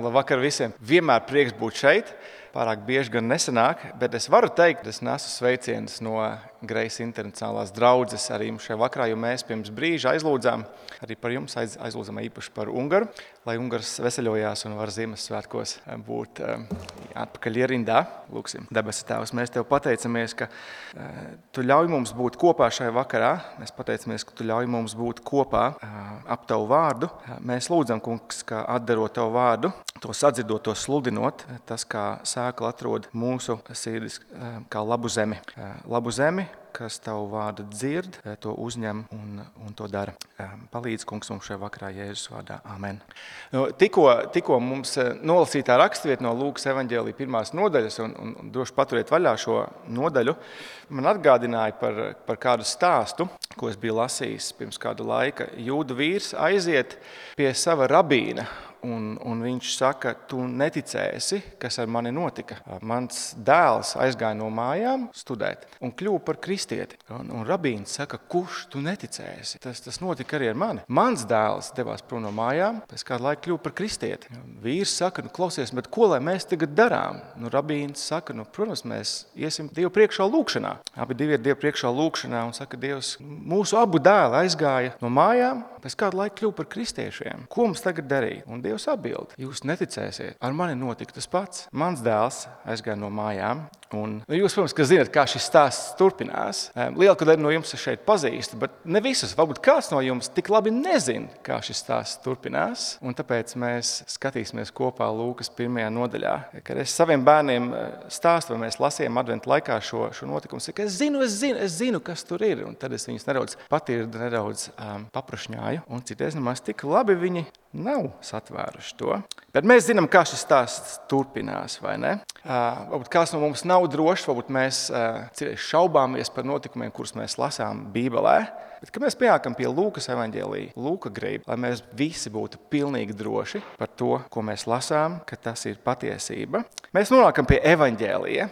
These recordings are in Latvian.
Labvakar visiem! Vienmēr prieks būt šeit. Pārāk bieži gan nesanāk, bet es varu teikt, ka es nesu sveicienus no Grace Internacionālās draudzes arī šajā vakarā, jo mēs pirms brīža aizlūdzām arī par jums, aizlūdzām īpaši par Ungaru, lai Ungars veseļojās un var Ziemassvētkos būt atpakaļ ierindā. Lūksim, debesu Tēvs, mēs Tev pateicamies, ka Tu ļauj mums būt kopā šajā vakarā. Mēs pateicamies, ka Tu ļauj mums būt kopā ap Tavu vārdu. Mēs lūdzam, Kungs, ka atdarot Tavu vārdu, to sadzirdot, to sludinot, tas kā sēkla atrod mūsu sirdis kā labu zemi. Labu zemi, kas Tavu vārdu dzird, to uzņem un to dara. Palīdz, Kungs, mums šajā vakarā Jēzus vārdā. Amen. Tikko mums nolasītā rakstvieta no Lūkas evaņģēlija 1. nodaļas, un droši paturiet vaļā šo nodaļu, man atgādināja par kādu stāstu, ko es biju lasījis pirms kādu laika. Jūdu vīrs aiziet pie sava rabīna, un viņš saka, tu neticēsi, kas ar mani notika. Mans dēls aizgāja no mājām studēt un kļuva par kristieti. Un rabīns saka, kurš tu neticēsi? Tas notika arī ar mani. Mans dēls devās prom no mājām, pēc kādu laiku kļuva par kristieti. Vīrs saka, klausies, bet ko lai mēs tagad darām? Rabīns saka, protams, mēs iesim Dievu priekšā lūkšanā. Abi divi ir Dievu priekšā lūkšanā un saka, Dievs, mūsu abu dēli aizgāja no mājām, pēc kādu laiku kļuva par kristiešiem. Ko mums tagad darīt? Un Dievs atbild, jūs neticēsiet, ar mani notika tas pats. Mans dēls aizgāja no mājām, un jūs, protams, ka zināt, kā šis stāsts turpinās. Lielāko daļu no jums šeit pazīstu, bet ne visus, varbūt kāds no jums tik labi nezin, kā šis stāsts turpinās, un tāpēc mēs skatīsimies kopā Lūkas 1. nodaļā. Kad es saviem bērniem stāstu, vai mēs lasījām adventu laikā šo notikumu, saka, es zinu, kas tur ir, un tad es viņus nedaudz paprašņāju, un citreiz nemaz tik labi viņi nav satvēruši to. Bet mēs zinām, kā šis stāsts turpinās, vai ne? Varbūt kāds no mums nav drošs, varbūt mēs šaubāmies par notikumiem, kurus mēs lasām Bībelē. Bet, kad mēs pienākam pie Lūkas evaņģēlija, Lūka grib, lai mēs visi būtu pilnīgi droši par to, ko mēs lasām, ka tas ir patiesība. Mēs nonākam pie evaņģēlija,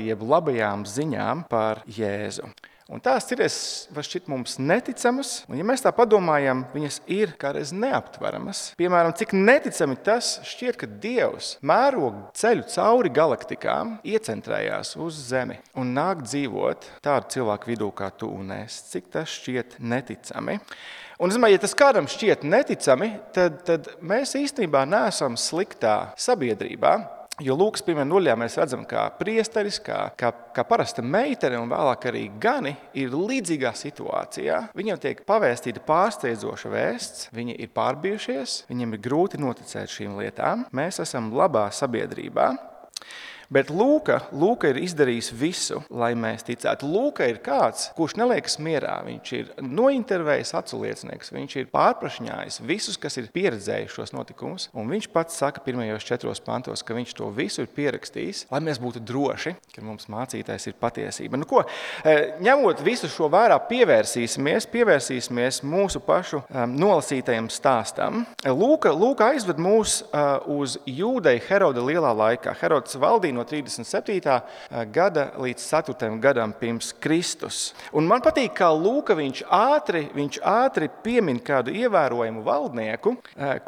jeb labajām ziņām par Jēzu. Un tās cities var šķiet mums neticamas, un ja mēs tā padomājam, viņas ir kādreiz neaptveramas. Piemēram, cik neticami tas šķiet, ka Dievs mēro ceļu cauri galaktikām, iecentrējās uz Zemi un nāk dzīvot tādu cilvēku vidū kā tu un es. Cik tas šķiet neticami. Un, ja tas kādam šķiet neticami, tad mēs īstenībā neesam sliktā sabiedrībā. Jo Lūkas 1. nodaļā mēs redzam, kā priesteris, kā parasta meitene un vēlāk arī gani ir līdzīgā situācijā. Viņiem tiek pavēstīta pārsteidzoša vēsts, viņi ir pārbijušies, viņiem ir grūti noticēt šīm lietām. Mēs esam labā sabiedrībā. Bet Lūka ir izdarījis visu, lai mēs ticētu. Lūka ir kāds, kurš neliekas mierā. Viņš ir nointervējis aculiecinieks, viņš ir pārprašņājis visus, kas ir pieredzējuši šos notikumus. Un viņš pats saka 1. 4. pantos, ka viņš to visu ir pierakstījis, lai mēs būtu droši, ka mums mācītais ir patiesība. Ņemot visu šo vērā, pievērsīsimies mūsu pašu nolasītajam stāstam. Lūka aizved mūs uz Jūdeju Heroda lielā laikā. Herods valdīja no 37. gada līdz 4. gadam pirms Kristus. Un man patīk, kā Lūka viņš ātri piemin kādu ievērojumu valdnieku,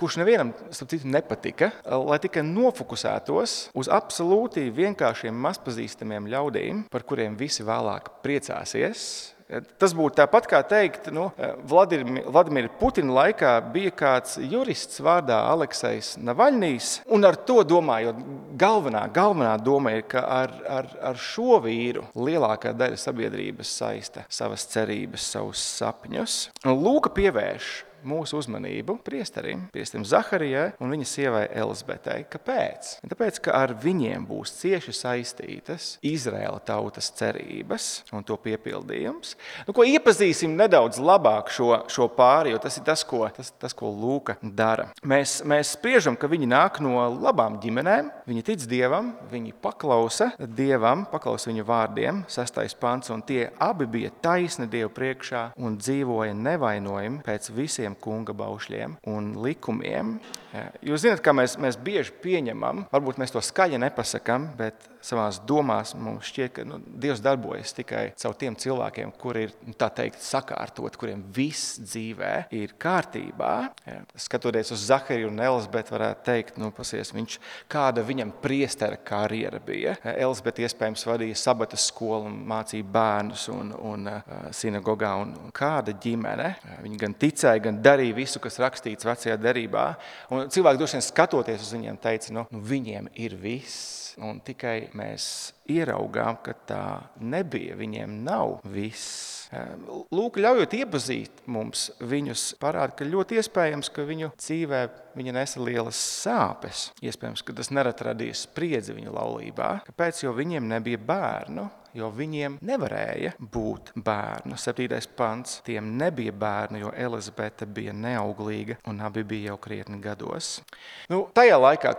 kurš nevienam starp citu nepatika, lai tikai nofokusētos uz absolūti vienkāršiem mazpazīstamiem ļaudīm, par kuriem visi vēlāk priecāsies. Tas būtu tāpat kā teikt, Vladimira Putina laikā bija kāds jurists vārdā Aleksejs Navaļnijs, un ar to domājot, galvenā doma ir, ka ar šo vīru lielākā daļa sabiedrības saista savas cerības, savus sapņus. Un Lūka pievērš mūsu uzmanību priesterim Zaharijai un viņa sievai Elizabetei. Kāpēc? Tāpēc, ka ar viņiem būs cieši saistītas Izraēla tautas cerības un to piepildījums. Iepazīsim nedaudz labāk šo pāri, jo tas ir tas, ko Lūka dara. Mēs spriežam, ka viņi nāk no labām ģimenēm, viņi tic Dievam, viņi paklausa Dievam, paklausa viņa vārdiem, 6. pants, un tie abi bija taisni Dievu priekšā un dzīvoja nevainojami pēc visiem kunga baušļiem un likumiem. Jūs zināt, kā mēs bieži pieņemam, varbūt mēs to skaļi nepasakam, bet savās domās mums šķiet, ka Dievs darbojas tikai caur tiem cilvēkiem, kuri ir, tā teikt, sakārtot, kuriem viss dzīvē ir kārtībā. Skatoties uz Zahariju un Elizabeti, varētu teikt, pasies, kāda viņam priestera karjera bija. Elizabete iespējams vadīja sabatas skolu un mācīja bērnus un sinagogā un kāda ģimene. Viņi gan ticēja, gan darīja visu, kas rakstīts vecajā derībā. Un cilvēki droši vien skatoties uz viņiem teica, viņiem ir viss. Un tikai mēs ieraugām, ka tā nebija, viņiem nav viss. Lūk, ļaujot iepazīt mums viņus, parāda, ka ļoti iespējams, ka viņu dzīvē viņa nesa lielas sāpes. Iespējams, ka tas nerad radīs spriedzi viņu laulībā. Kāpēc? Jo viņiem nebija bērnu. Jo viņiem nevarēja būt bērnu. 7. pants. Tiem nebija bērnu, jo Elizabete bija neauglīga un abi bija jau krietni gados. Tajā laikā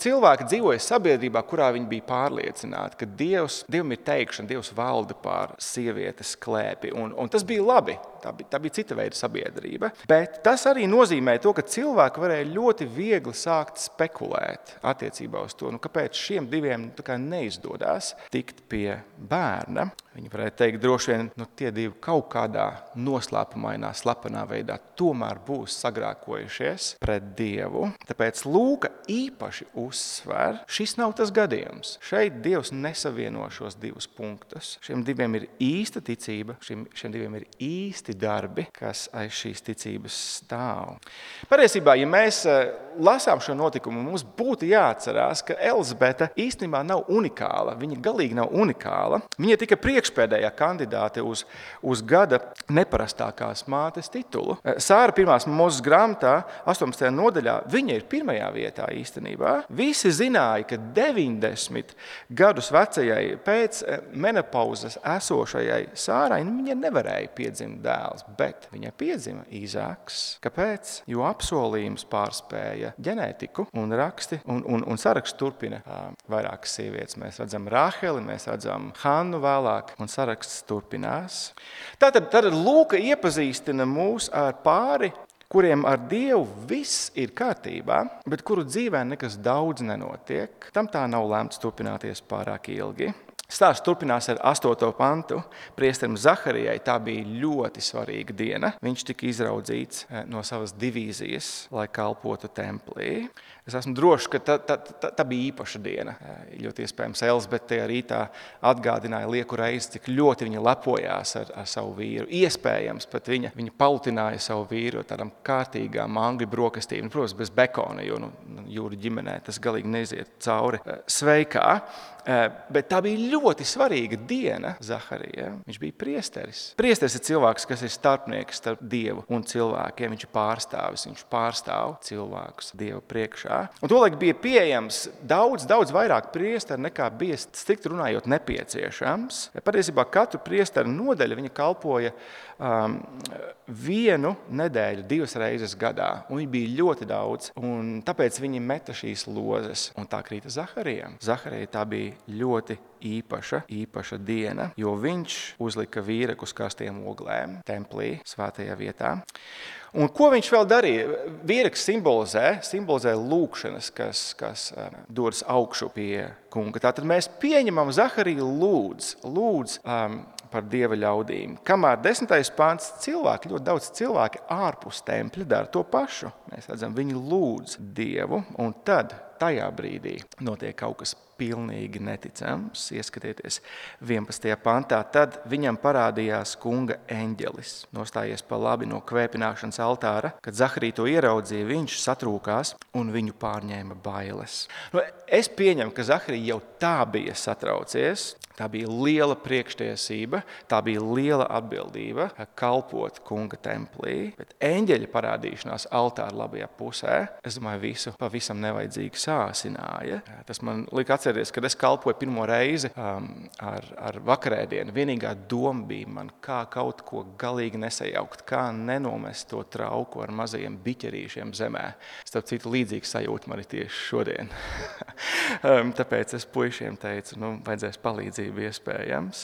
cilvēki dzīvoja sabiedrībā, kurā viņi bija pārliecināti, ka Dievam ir teikšana, Dievs valda pār sievietes klēpi. Un tas bija labi. Tā bija cita veida sabiedrība. Bet tas arī nozīmē to, ka cilvēki varēja ļoti viegli sākt spekulēt attiecībā uz to, kāpēc šiem diviem neizdodas tikt pie bērna. Viņi varētu teikt, droši vien, tie divi kaut kādā noslēpumainā, slepenā veidā tomēr būs sagrēkojušies pret Dievu. Tāpēc Lūka īpaši uzsver, šis nav tas gadījums. Šeit Dievs nesavieno šos divus punktus. Šiem diviem ir īsta ticība, šiem diviem ir īsti darbi, kas aiz šīs ticības stāv. Patiesībā, ja mēs lasām šo notikumu, mums būtu jāatcerās, ka Elizabete īstenībā nav unikāla. Viņa galīgi nav unikāla. Viņa tika priekšpēdējā kandidāte uz gada neparastākās mātes titulu. Sāra 1. Mūzes grāmatā, 18. nodaļā, viņa ir pirmajā vietā īstenībā. Visi zināja, ka 90 gadus vecajai pēc menopauzes esošajai Sārai viņa nevarēja piedzimt dēls, bet viņai piedzima Īzāks. Kāpēc? Jo apsolījums pārspēja ģenētiku un raksti, un saraksts turpina vairākas sievietes. Mēs redzam Rāheli, mēs redzam Hannu vēlāk, un saraksts turpinās. Tātad Lūka iepazīstina mūs ar pāri, kuriem ar Dievu viss ir kārtībā, bet kuru dzīvē nekas daudz nenotiek. Tam tā nav lemts turpināties pārāk ilgi. Stāsts turpinās ar 8. pantu. Priesterim Zaharijai tā bija ļoti svarīga diena. Viņš tika izraudzīts no savas divīzijas, lai kalpotu templī. Es esmu drošs, ka tā bija īpaša diena. Ļoti iespējams, Elizabete tajā rītā atgādināja lieku reizi, cik ļoti viņa lepojās ar savu vīru. Iespējams, pat viņa pautināja savu vīru tādām kārtīgām angļu brokastīm. Protams, bez bekona, jo jūru ģimenē tas galīgi neiziet cauri sveikā. Bet tā bija ļoti svarīga diena Zaharijai. Viņš bija priesteris. Priesteris ir cilvēks, kas ir starpnieks starp Dievu un cilvēkiem. Viņš ir pārstāvis, viņš pārstāv cilvēkus Dievu priekšā. Un tolaik bija pieejams daudz vairāk priesteri, nekā bija strikt runājot nepieciešams. Patiesībā katru priesteru nodaļu viņa kalpoja vienu nedēļu, 2 reizes gadā. Un viņi bija ļoti daudz, un tāpēc viņi meta šīs lozes. Un tā krīta Zaharijam. Zaharijai tā bija ļoti īpaša diena, jo viņš uzlika vīreku uz karstiem oglēm templī, svētajā vietā. Un ko viņš vēl darīja? Vīreks simbolizē lūkšanas, kas dodas augšu pie kunga. Tātad mēs pieņemam Zahariju lūdz par Dieva ļaudīm. Kamēr 10. pants cilvēki, ļoti daudz cilvēki ārpus tempļa dara to pašu. Mēs redzam, viņi lūdz Dievu, un tad tajā brīdī notiek kaut kas pilnīgi neticams. Ieskatieties 11. pantā. Tad viņam parādījās kunga eņģelis, nostājies pa labi no kvēpināšanas altāra. Kad Zaharija to ieraudzīja, viņš satrūkās un viņu pārņēma bailes. Es pieņemu, ka Zaharija jau tā bija satraucies. Tā bija liela priekštiesība, tā bija liela atbildība kalpot kunga templī. Bet eņģeļa parādīšanās altāra labajā pusē, es domāju, visu pavisam nevajadzīgi sāsināja. Tas man lika atcerēties, kad es kalpoju pirmo reizi ar vakarēdienu. Vienīgā doma bija man, kā kaut ko galīgi nesajaukt, kā nenomest to trauku ar mazajiem biķerīšiem zemē. Starp citu, līdzīgs sajūta man ir tieši šodien. Tāpēc es puišiem teicu, vajadzēs palīdzību iespējams.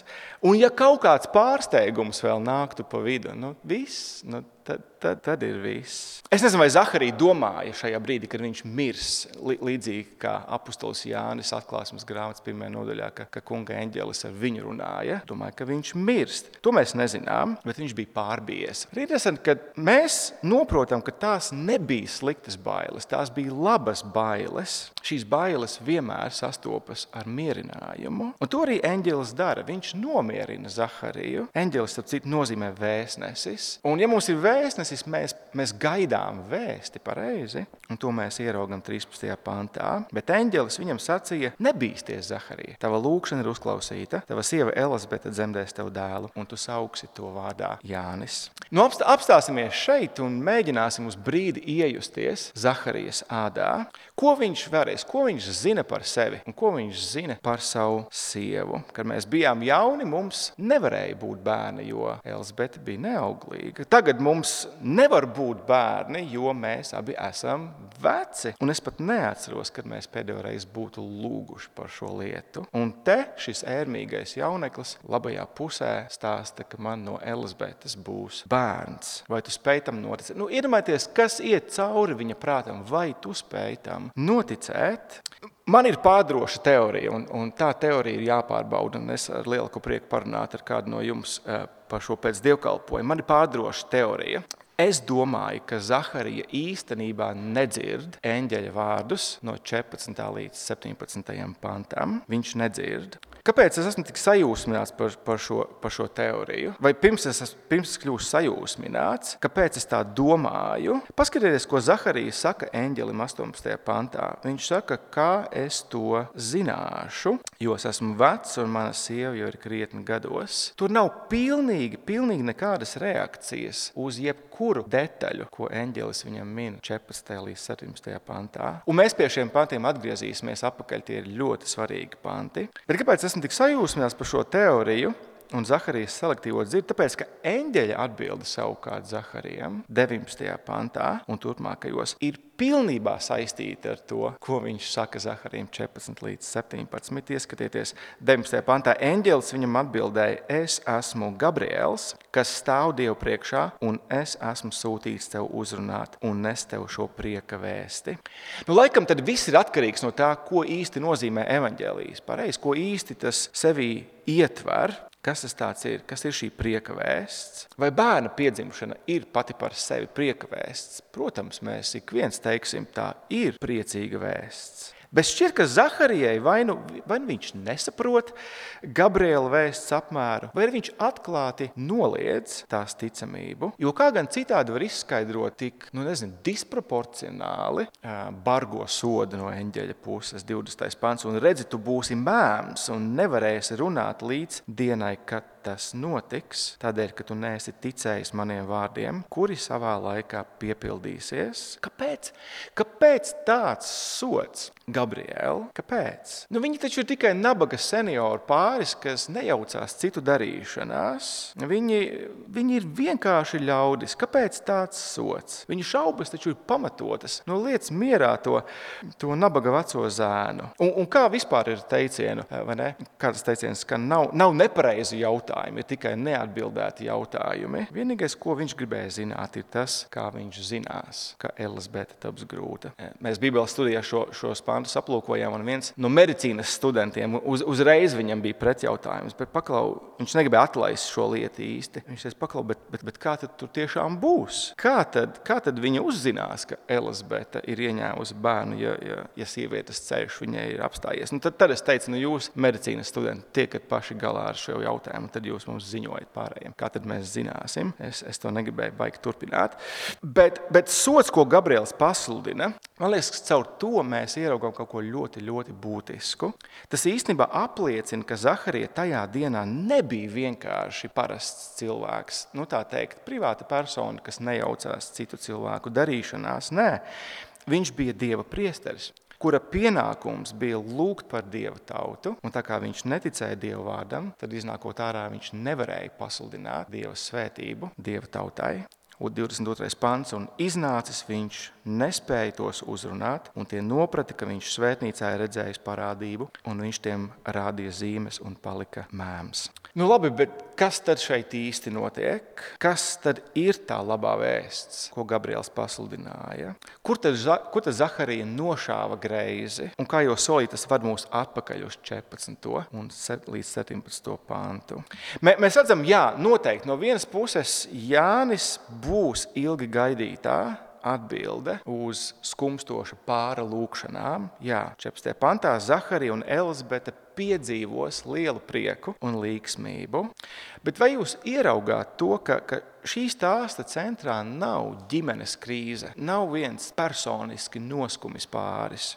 Un ja kaut kāds pārsteigums vēl nāktu pa vidu, viss, tad ir viss. Es nezinu, vai Zaharija domāja šajā brīdī, kad viņš mirs, līdzīgi kā apustulis Jānis atklāsmes grāmatas 1. nodaļā, ka kunga eņģelis ar viņu runāja. Domāju, ka viņš mirst. To mēs nezinām, bet viņš bija pārbijies. Ir interesanti, ka mēs noprotam, ka tās nebija sliktas bailes, tās bija labas bailes. Šīs bailes vienmēr sastopas ar mierinājumu. Un to arī eņģelis dara. Viņš nomierina Zahariju. Eņģelis, starp citu, nozīmē vēstnesis. Un ja mums ir vēstnesis, mēs gaidām vēsti pareizi. Un to mēs ieraugam 13. pantā. Bet eņģelis viņam sacīja: nebīsties, Zaharija. Tava lūkšana ir uzklausīta. Tava sieva Elizabete dzemdēs tev dēlu, un tu sauksi to vārdā Jānis. Nu, apstāsimies šeit un mēģināsim uz brīdi iejusties Zaharijas ādā. Ko viņš vēries, ko viņš zina par sevi un ko viņš zina par savu sievu? Kad mēs bijām jauni, mums nevarēja būt bērni, jo Elizabete bija neauglīga. Tagad mums nevar būt bērni, jo mēs abi esam veci. Un es pat neatceros, kad mēs pēdējo reizi būtu lūguši par šo lietu. Un te šis ērmīgais jauneklis labajā pusē stāsta, ka man no Elizabetes būs bērns. Vai tu spēj tam noticēt? Nu, iedomājieties, kas iet cauri viņa prātam, vai tu spēj tam noticēt? Man ir pārdroša teorija, un tā teorija ir jāpārbauda, un es ar lielu prieku parunātu ar kādu no jums par šo pēc dievkalpojumu. Man ir pārdroša teorija. Es domāju, ka Zaharija īstenībā nedzird eņģeļa vārdus no 14. līdz 17. pantam. Viņš nedzird. Kāpēc es esmu tik sajūsmināts par šo teoriju? Vai pirms es kļūšu sajūsmināts? Kāpēc es tā domāju? Paskatieties, ko Zaharija saka eņģelim 18. pantā. Viņš saka, kā es to zināšu, jo es esmu vecs un mana sieva jau ir krietni gados. Tur nav pilnīgi nekādas reakcijas uz jebkuru detaļu, ko eņģelis viņam min 14. līdz 17. pantā. Un mēs pie šiem pantiem atgriezīsimies atpakaļ, tie ir ļoti svarīgi panti. Bet kāpēc esmu tik sajūsmināts par šo teoriju un Zaharijas selektīvo dzirdi? Tāpēc, ka eņģeļa atbilde savukārt Zaharijam 19. pantā un turpmākajos ir pilnībā saistīta ar to, ko viņš saka Zaharijam 14 līdz 17. Ieskatieties, 19. pantā eņģelis viņam atbildēja: es esmu Gabriels, kas stāv Dievu priekšā, un es esmu sūtīts tev uzrunāt un nest tev šo prieka vēsti. Nu, laikam tad viss ir atkarīgs no tā, ko īsti nozīmē evaņģēlijs. Pareizi, ko īsti tas sevī ietver. Kas tas tāds ir? Kas ir šī prieka vēsts? Vai bērna piedzimšana ir pati par sevi prieka vēsts? Protams, mēs ik viens teiksim, tā ir priecīga vēsts. Bet šķiet, ka Zaharijai vai nu viņš nesaprot Gabriela vēsts apmēru, vai viņš atklāti noliedz tās ticamību. Jo kā gan citādi var izskaidrot tik, disproporcionāli bargo sodu no eņģeļa puses, 20. pants, un redzi, tu būsi mēms un nevarēsi runāt līdz dienai, kad tas notiks, tādēļ, ka tu neesi ticējis maniem vārdiem, kuri savā laikā piepildīsies. Kāpēc tāds sods, Gabriela? Kāpēc? Viņi taču ir tikai nabaga senioru pāris, kas nejaucās citu darīšanās. Viņi ir vienkārši ļaudis. Kāpēc tāds sods? Viņu šaubas taču ir pamatotas. Liec mierā to nabaga veco zēnu. Un kā vispār ir teicienu, vai ne? Kāds teiciens, ka nav nepareizi jautājumi, ir tikai neatbildēti jautājumi. Vienīgais, ko viņš gribēja zināt, ir tas, kā viņš zinās, ka Elizabete taps grūta. Mēs Bībeles studijā šos pantus aplūkojām, un viens no medicīnas studentiem uzreiz viņam bija pretjautājums, bet viņš negribēja atlaist šo lietu īsti. Viņš teica, bet kā tad tur tiešām būs? Kā tad viņa uzzinās, ka Elizabete ir ieņēmusi bērnu, ja sievietes ceļš viņai ir apstājies? Tad es teicu, jūs medicīnas studenti tiekat paši galā ar šo jautājumu, tad jūs mums ziņojat pārējiem. Kā tad mēs zināsim? Es to negribēju baigi turpināt. Bet sods, ko Gabriels pasludina, man liekas, ka caur to mēs ieraugām kaut ko ļoti, ļoti būtisku. Tas īstenībā apliecina, ka Zaharija tajā dienā nebija vienkārši parasts cilvēks. Tā teikt, privāta persona, kas nejaucās citu cilvēku darīšanās. Nē, viņš bija Dieva priesteris, kura pienākums bija lūgt par Dieva tautu, un tā kā viņš neticēja Dieva vārdam, tad iznākot ārā viņš nevarēja pasludināt Dieva svētību Dieva tautai. 22. pants, un iznācis viņš nespēja tos uzrunāt, un tie noprata, ka viņš svētnīcā ir redzējis parādību, un viņš tiem rādīja zīmes un palika mēms. Nu labi, bet kas tad šeit īsti notiek? Kas tad ir tā labā vēsts, ko Gabriels pasludināja? Kur tad Zaharija nošāva greizi? Un kā jau solīja, tas var mūs atpakaļ uz 14. un līdz 17. pantu. Mēs redzam, jā, noteikti no vienas puses Jānis būs ilgi gaidītā atbilde uz skumstoša pāra lūkšanām. Jā, 14. pantā Zaharija un Elizabete piedzīvos lielu prieku un līgsmību. Bet vai jūs ieraugāt to, ka šī stāsta centrā nav ģimenes krīze, nav viens personiski noskumis pāris?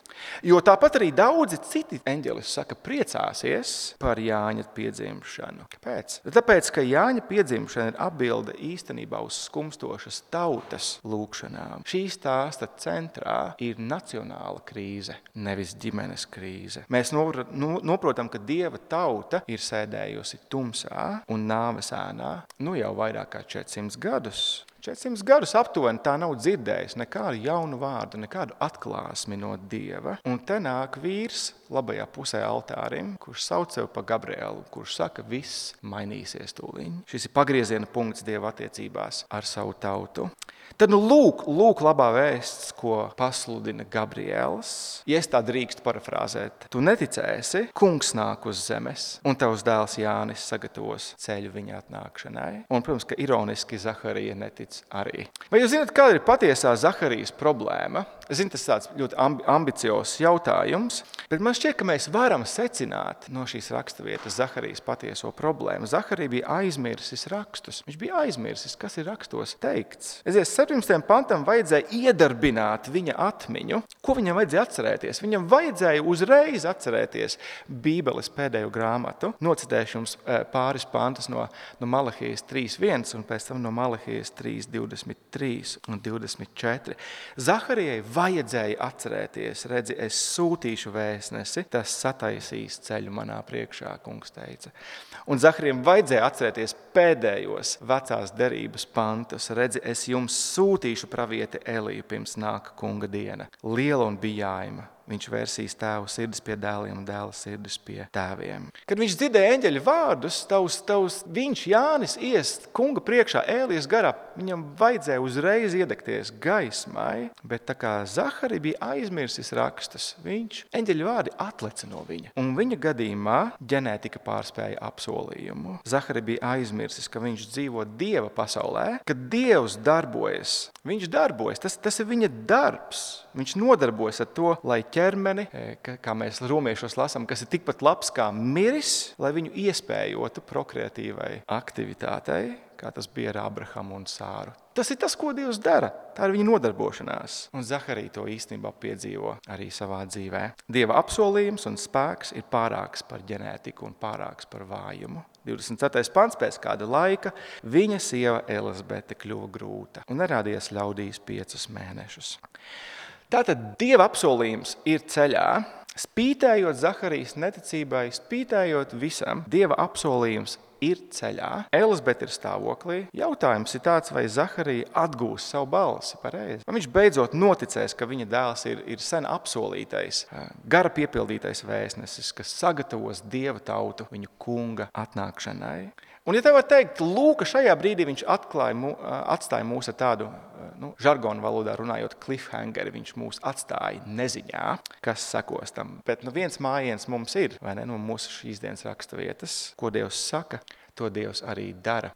Jo tāpat arī daudzi citi eņģeļi saka, priecāsies par Jāņa piedzimšanu. Kāpēc? Tāpēc, ka Jāņa piedzimšana ir atbilde īstenībā uz skumstošas tautas lūkšanām. Šī stāsta centrā ir nacionāla krīze, nevis ģimenes krīze. Mēs noprotam, ka Dieva tauta ir sēdējusi tumsā un nāves ēnā jau vairāk kā 400 gadus. 400 gadus aptuveni tā nav dzirdējusi nekādu jaunu vārdu, nekādu atklāsmi no Dieva. Un te nāk vīrs labajā pusē altārim, kurš sauc sev pa Gabrielu, kurš saka, viss mainīsies tūliņ. Šis ir pagrieziena punkts Dieva attiecībās ar savu tautu. Tad lūk labā vēsts, ko pasludina Gabriels. Ja es tā drīkstu parafrāzēt, tu neticēsi, kungs nāk uz zemes, un tavs dēls Jānis sagatavos ceļu viņa atnākšanai. Un, protams, ka ironiski Zaharija netic arī. Vai jūs zināt, kāda ir patiesā Zaharijas problēma? Es zinu, tas tāds ļoti ambiciozs jautājums, bet man šķiet, ka mēs varam secināt no šīs raksturvietas Zaharijas patieso problēmu. Zaharija bija aizmirsis rakstus. Viņš bija aizmirsis, kas ir rakstos teikts. 17. pantam vajadzēja iedarbināt viņa atmiņu. Ko viņam vajadzēja atcerēties? Viņam vajadzēja uzreiz atcerēties Bībeles pēdējo grāmatu. Nocitēšu jums pāris pantus no Malahijas 3.1 un pēc tam no Malahijas 3.23 un 24. Zaharijai vajadzēja atcerēties, redzi, es sūtīšu vēstnesi, tas sataisīs ceļu manā priekšā, kungs teica. Un Zaharijam vajadzēja atcerēties pēdējos vecās derības pantus, redzi, es jums sūtīšu pravieti Eliju pirms nāka kunga diena, liela un bijājuma. Viņš vērsīs tēvu sirdis pie dēliem un dēla sirdis pie tēviem. Kad viņš dzirdēja eņģeļa vārdus, viņš, Jānis, iest kunga priekšā Ēlijas garā, viņam vajadzēja uzreiz iedegties gaismai, bet tā kā Zaharija bija aizmirsis rakstus, eņģeļa vārdi atleca no viņa. Un viņa gadījumā ģenētika pārspēja apsolījumu. Zaharija bija aizmirsis, ka viņš dzīvo Dieva pasaulē, ka Dievs darbojas. Viņš darbojas, tas ir viņa darbs. Viņš nodarbojas ar to, lai ķermeni, kā mēs romiešos lasām, kas ir tikpat labs kā miris, lai viņu iespējotu prokreatīvai aktivitātei, kā tas bija ar Abrahamu un Sāru. Tas ir tas, ko Dievs dara. Tā ir viņa nodarbošanās. Un Zaharija to īstenībā piedzīvo arī savā dzīvē. Dieva apsolījums un spēks ir pārāks par ģenētiku un pārāks par vājumu. 24. pants pēc kāda laika viņa sieva Elizabete kļuva grūta un nerādījās ļaudīs 5 mēnešus. Tātad Dieva apsolījums ir ceļā, spītējot Zaharijas neticībai, spītējot visam, Dieva apsolījums ir ceļā. Elizabete ir stāvoklī. Jautājums ir tāds, vai Zaharija atgūs savu balsi pareizi. Vai viņš beidzot noticēs, ka viņa dēls ir sen apsolītais, gara piepildītais vēstnesis, kas sagatavos Dieva tautu viņu kunga atnākšanai. Un, ja tev var teikt, Lūka šajā brīdī viņš atstāja mūs ar tādu, žargonu valodā runājot, cliffhangeri, viņš mūs atstāja neziņā, kas sekos tam. Bet viens mājiens mums ir, vai ne, no mūsu šīs dienas raksturvietas, ko Dievs saka, to Dievs arī dara.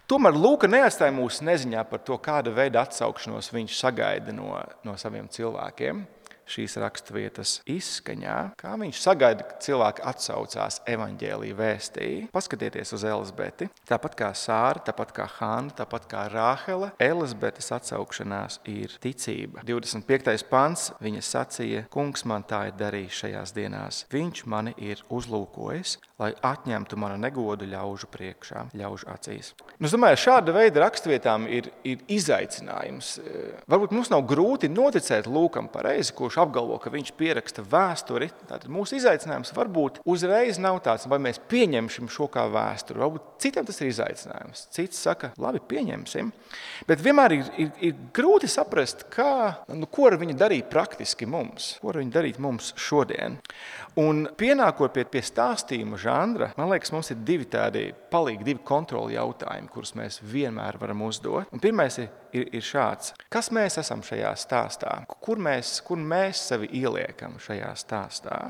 Tomēr Lūka neatstāja mūs neziņā par to, kāda veida atsaukšanos viņš sagaida no saviem cilvēkiem. Šīs raksturvietas izskaņā, kā viņš sagaida, ka cilvēki atsaucās evaņģēlija vēstī. Paskatieties uz Elizabeti. Tāpat kā Sāra, tāpat kā Hanna, tāpat kā Rāhele, Elizabetes atsaukšanās ir ticība. 25. pants, viņa sacīja, kungs man tā ir darījis šajās dienās. Viņš mani ir uzlūkojis, lai atņemtu manu negodu ļaužu priekšā, ļaužu acīs. Es domāju, šāda veida raksturvietām ir izaicinājums. Varbūt mums nav grūti noticēt Lūkam pareizi, kurš kurš apgalvo, ka viņš pieraksta vēsturi, tātad mūsu izaicinājums varbūt uzreiz nav tāds, vai mēs pieņemsim šo kā vēsturi. Varbūt citam tas ir izaicinājums. Cits saka, labi, pieņemsim. Bet vienmēr ir grūti saprast, ko ar viņu darīt praktiski mums. Ko ar viņu darīt mums šodien. Un pienākot pie stāstījuma žanra, man liekas, mums ir divi kontroli jautājumi, kurus mēs vienmēr varam uzdot. Un pirmais ir šāds. Kas mēs esam šajā stāstā? Kur mēs sevi ieliekam šajā stāstā?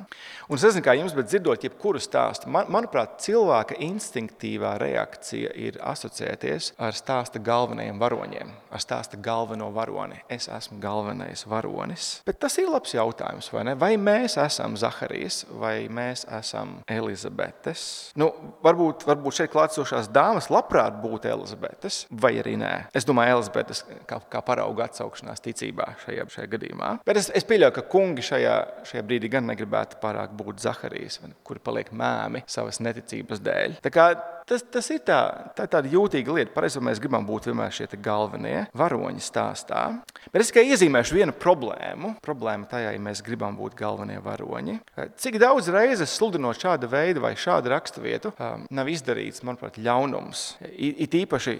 Un es nezinu, kā jums, bet dzirdot jebkuru stāstu, manuprāt, cilvēka instinktīvā reakcija ir asociēties ar stāsta galvenajiem varoņiem, ar stāsta galveno varoni. Es esmu galvenais varonis. Bet tas ir labs jautājums, vai ne? Vai mēs esam Zaharijas, vai mēs esam Elizabetes? Varbūt šeit klātsošās dāmas labprāt būtu Elizabetes, vai arī nē. Es domāju, Elizabetes kā parauga atsaukšanās ticībā šajā gadījumā. Bet es pieļauju, ka kungi šajā brīdī gan negribētu pārāk būt Zaharijas, kuri paliek mēmi savas neticības dēļ. Tā kā tas ir tāda jūtīga lieta. Pareizi, mēs gribam būt vienmēr šie galvenie varoņi stāstā. Bet es tikai iezīmēšu vienu problēmu. Problēma tajā, ja mēs gribam būt galvenie varoņi. Cik daudz reizes sludinot šāda veida vai šādu raksturvietu nav izdarīts, manuprāt, ļaunums. It īpaši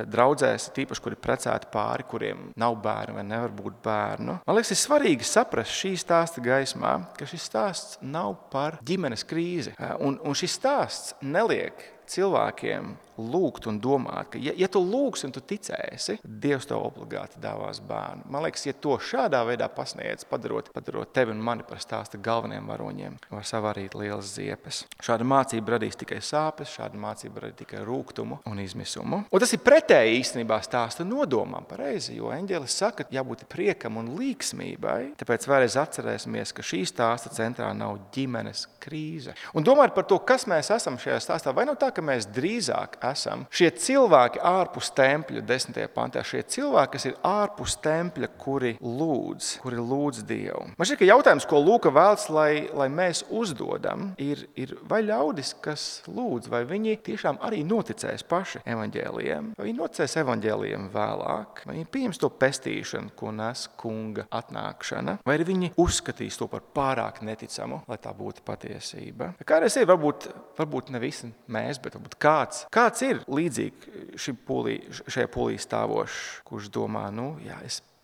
draudzēs, kuri precēti pāri, kuriem nav bērnu vai nevar būt bērnu. Man liekas, ir svarīgi saprast šī stāsta gaismā, ka šis stāsts nav par ģimenes krīzi. Un šis stāsts neliek cilvēkiem lūgt un domāt, ka ja tu lūgsi un tu ticēsi, Dievs tev obligāti dāvās bērnu. Man liekas, ja to šādā veidā pasniedz, padarot tevi un mani par stāsta galveniem varoņiem, var savārīt lielas ziepes. Šāda mācība radīs tikai sāpes, šāda mācība radīs tikai rūgtumu un izmisumu. Un tas ir pretēji īstenībā stāsta nodomām, pareizi, jo eņģelis saka, jābūt priekam un līksmībai. Tāpēc vēlreiz atcerēsimies, ka šī stāsta centrā nav ģimenes krīze. Un domājot par to, kas mēs esam šajā stāstā, vai nav tā, ka mēs drīzāk esam šie cilvēki ārpus tempļa 10. pantā, šie cilvēki, kas ir ārpus tempļa, kuri lūdz Dievu. Man šķiet, ka jautājums, ko Lūka vēlas, lai mēs uzdodam, ir vai ļaudis, kas lūdz, vai viņi tiešām arī noticēs paši evaņģēlijiem, vai viņi noticēs evaņģēlijiem vēlāk, vai viņi pieņems to pestīšanu, ko nes kunga atnākšana, vai arī viņi uzskatīs to par pārāk neticamu, lai tā būtu patiesība. Kādreiz ir, varbūt ne visi mēs, bet varbūt kāds ir līdzīgi šajā pūlī stāvošs, kurš domā,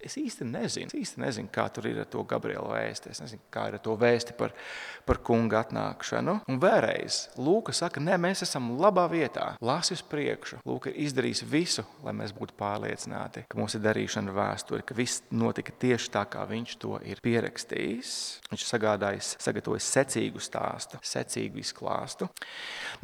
es īsti nezinu, kā tur ir ar to Gabriela vēsti. Es nezinu, kā ir ar to vēsti par kunga atnākšanu. Un vēlreiz, Lūka saka, mēs esam labā vietā. Lasi uz priekšu. Lūka ir izdarījis visu, lai mēs būtu pārliecināti, ka mums ir darīšana vēsture, ka viss notika tieši tā, kā viņš to ir pierakstījis. Viņš sagatavojis secīgu stāstu, secīgu izklāstu.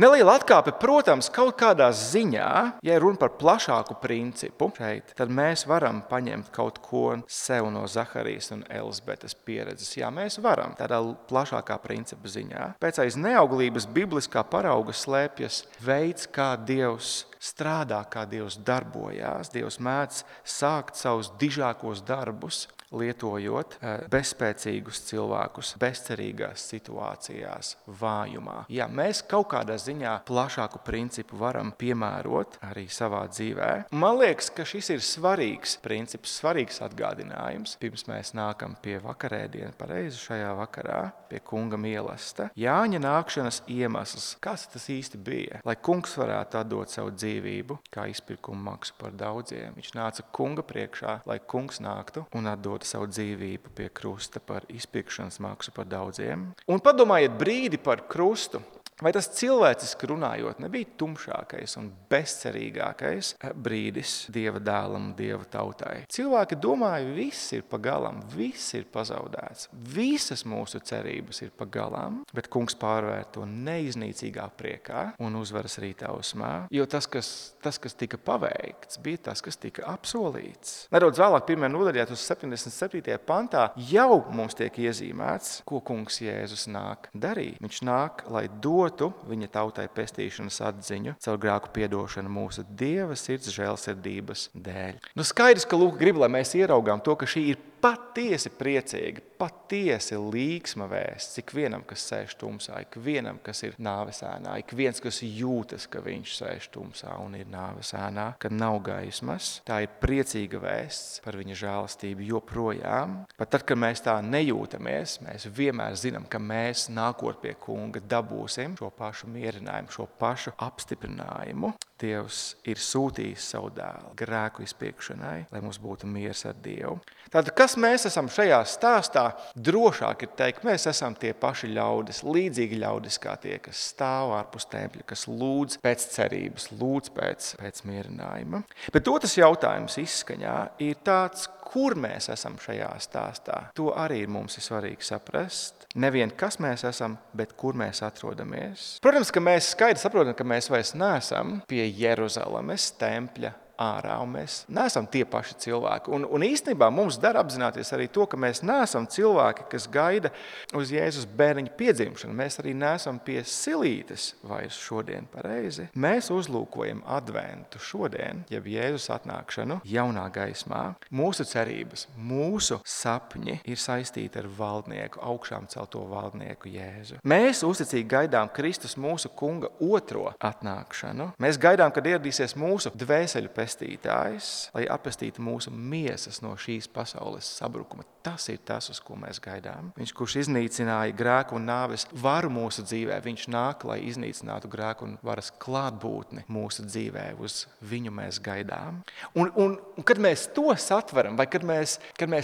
Neliela atkāpe, protams, kaut kādā ziņā, ja runa par plašāku principu šeit, tad mēs varam paņemt kaut ko sev no Zaharijas un Elizabetes pieredzes. Jā, mēs varam tādā plašākā principa ziņā. Pēc aiz neauglības bibliskā parauga slēpjas veids, kā Dievs strādā, kā Dievs darbojās. Dievs mēdz sākt savus dižākos darbus, lietojot bezspēcīgus cilvēkus, bezcerīgās situācijās, vājumā. Jā, mēs kaut kādā ziņā plašāku principu varam piemērot arī savā dzīvē. Man liekas, ka šis ir svarīgs princips, svarīgs atgādinājums. Pirms mēs nākam pie vakarēdiena, pareizi šajā vakarā, pie kunga mīlesta. Jāņa nākšanas iemesls, kas tas īsti bija? Lai kungs varētu atdot savu dzīvību, kā izpirkuma maksu par daudziem. Viņš nāca kunga priekšā, lai kungs nāktu un atdot savu dzīvību pie krusta par izpirkšanas maksu par daudziem. Un padomājiet brīdi par krustu. Vai tas cilvēciski runājot nebija tumšākais un bezcerīgākais brīdis Dieva dēlam un Dieva tautai? Cilvēki domāja, viss ir pagalam, viss ir pazaudēts, visas mūsu cerības ir pagalam, bet kungs pārvērt to neiznīcīgā priekā un uzvaras rītā usmā, jo tas, kas tika paveikts, bija tas, kas tika apsolīts. Nedaudz vēlāk, 1. nodaļā uz 77. pantā, jau mums tiek iezīmēts, ko kungs Jēzus nāk darīt. Viņš nāk, lai viņa tautai pestīšanas atziņu caur grēku piedošanu mūsu Dieva sirds žēlsirdības dēļ. Skaidrs, ka Lūka grib, lai mēs ieraugām to, ka šī ir patiesi priecīga, patiesi līksma vēsts ikvienam, kas sēž tumsā, ikvienam, kas ir nāves ēnā, ikviens, kas jūtas, ka viņš sēž tumsā un ir nāves ēnā, ka nav gaismas. Tā ir priecīga vēsts par viņa žēlastību joprojām. Pat tad, kad mēs tā nejūtamies, mēs vienmēr zinām, ka mēs nākot pie kunga dabūsim šo pašu mierinājumu, šo pašu apstiprinājumu. Dievs ir sūtījis savu dēlu grēku izpiekšanai, lai mums būtu miers ar Dievu. Tātad, kas mēs esam šajā stāstā? Drošāk ir teikt, mēs esam tie paši ļaudis, līdzīgi ļaudis kā tie, kas stāv ārpus tempļa, kas lūdz pēc cerības, lūdz pēc mierinājuma. Bet otrs jautājums izskaņā ir tāds, kur mēs esam šajā stāstā. To arī mums ir svarīgi saprast. Nevien, kas mēs esam, bet kur mēs atrodamies. Protams, ka mēs skaidri saprotam, ka mēs vairs neesam pie Jeruzalemes tempļa ārā, un mēs neesam tie paši cilvēki. Un īstenībā mums dara apzināties arī to, ka mēs neesam cilvēki, kas gaida uz Jēzus bērniņa piedzimšanu. Mēs arī neesam pie silītes vairs šodien pareizi. Mēs uzlūkojam adventu šodien, jeb Jēzus atnākšanu jaunā gaismā. Mūsu cerības, mūsu sapņi ir saistīti ar valdnieku, augšām celto valdnieku Jēzu. Mēs uzticīgi gaidām Kristus mūsu kunga otro atnākšanu. Mēs gaidām, kad ieradīsies mūsu dvēseļu pestītājs, lai atpestītu mūsu miesas no šīs pasaules sabrukuma. Tas ir tas, uz ko mēs gaidām. Viņš, kurš iznīcināja grēku un nāves varu mūsu dzīvē, viņš nāk, lai iznīcinātu grēku un varas klātbūtni mūsu dzīvē. Uz viņu mēs gaidām. Un kad mēs to satveram, vai kad mēs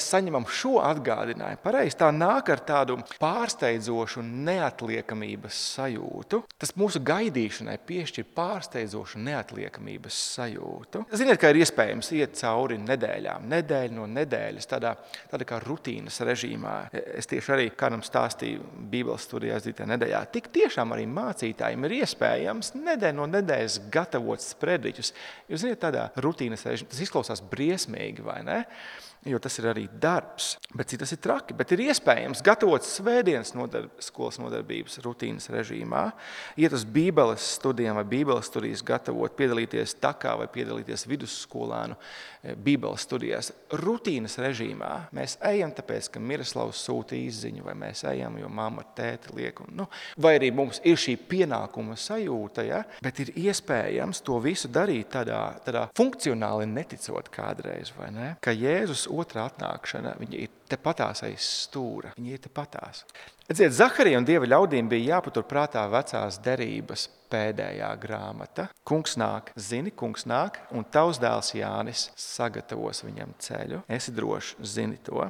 saņemam šo atgādinājumu, pareizi, tā nāk ar tādu pārsteidzošu neatliekamības sajūtu. Tas mūsu gaidīšanai piešķir pārsteidzošu neatliekamības sajūtu. Ziniet, ka ir iespējams iet cauri nedēļām, nedēļu no nedēļas, tādā kā rutīnas režīmā. Es tieši arī kādam stāstīju Bībeles studijā aizdītajā nedēļā. Tik tiešām arī mācītājiem ir iespējams nedēļu no nedēļas gatavot sprediķus. Jūs ziniet, tādā rutīnas režīmā, tas izklausās briesmīgi, vai ne? Jo tas ir arī darbs, bet tas ir traki. Bet ir iespējams gatavot svētdienas skolas nodarbības rutīnas režīmā, iet uz Bībeles studijām vai Bībeles studijas gatavot, piedalīties takā vai piedalīties vidusskolānu Bībeles studijās. Rutīnas režīmā mēs ejam tāpēc, ka Miroslavs sūta izziņu, vai mēs ejam, jo mamma ar tēti liek. Vai arī mums ir šī pienākuma sajūta, ja? Bet ir iespējams to visu darīt tādā funkcionāli neticot kādreiz, vai ne? Ka Jēzus otrā atnākšana, viņa ir tepatās aiz stūra. Viņa ir tepatās. Redziet, Zaharija un Dieva ļaudīm bija jāpatur prātā vecās derības pēdējā grāmata. Kungs nāk, zini, kungs nāk, un tavs dēls Jānis sagatavos viņam ceļu. Esi droši, zini to.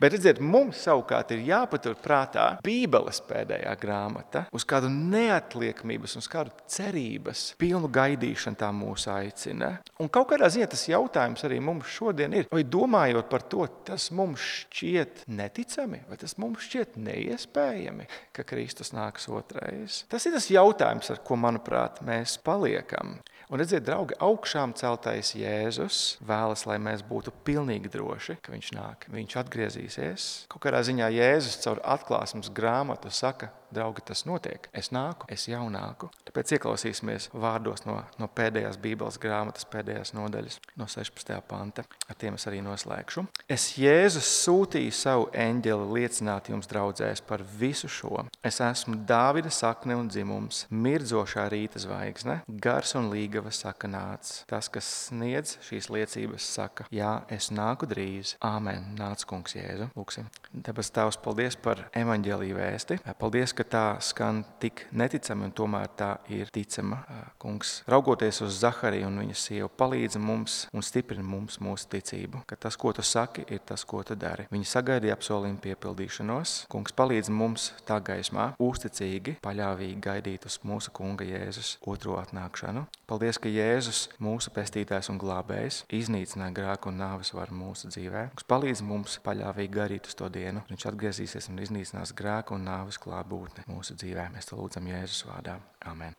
Bet, redziet, mums savukārt ir jāpatur prātā Bībeles pēdējā grāmata, uz kādu neatliekamības, uz kādu cerības pilnu gaidīšanu tā mūs aicina. Un kaut kādā ziņā tas jautājums arī mums šodien ir, vai domājot par to, tas mums šķiet neticami, vai tas mums šķiet neiespējami, ka Kristus nāks otrais. Tas ir tas jautājums, ar ko, manuprāt, mēs paliekam. Un redziet, draugi, augšām celtais Jēzus vēlas, lai mēs būtu pilnīgi droši, ka viņš nāk, viņš atgriezīsies. Kaut kādā ziņā Jēzus caur atklāsmes grāmatu saka, draugi, tas notiek. Es nāku, es jau nāku. Tāpēc ieklausīsimies vārdos no pēdējās Bībeles grāmatas, pēdējās nodaļas, no 16. panta. Ar tiem es arī noslēgšu. Es Jēzus sūtīju savu eņģeli liecināt jums, draudzēs, par visu šo. Es esmu Dāvida sakne un dzimums, mirdzošā rīta zvaigzne, gars un līgava saka nāc. Tas, kas sniedz šīs liecības, saka, jā, es nāku drīz. Āmen. Nāc, kungs Jēzu. Lūksim. Debes Tēvs, paldies par evaņģēliju vēsti. Paldies, ka tā skan tik neticami un tomēr tā ir ticama. Kungs, raugoties uz Zahariju un viņa sievu, palīdzi mums un stiprina mums mūsu ticību, ka tas, ko tu saki, ir tas, ko tu dari. Viņi sagaidīja apsolījumu piepildīšanos. Kungs, palīdzi mums tā gaismā uzticīgi, paļāvīgi gaidīt uz mūsu kunga Jēzus otro atnākšanu. Paldies, ka Jēzus, mūsu pestītājs un glābējs, iznīcināja grēku un nāves varu mūsu dzīvē. Kungs, palīdzi mums paļāvīgi gaidīt uz to dienu. Viņš atgriezīsies un iznīcinās grēku un nāves klātbūtni mūsu dzīvē. Mēs to lūdzam Jēzus vārdā. Amen.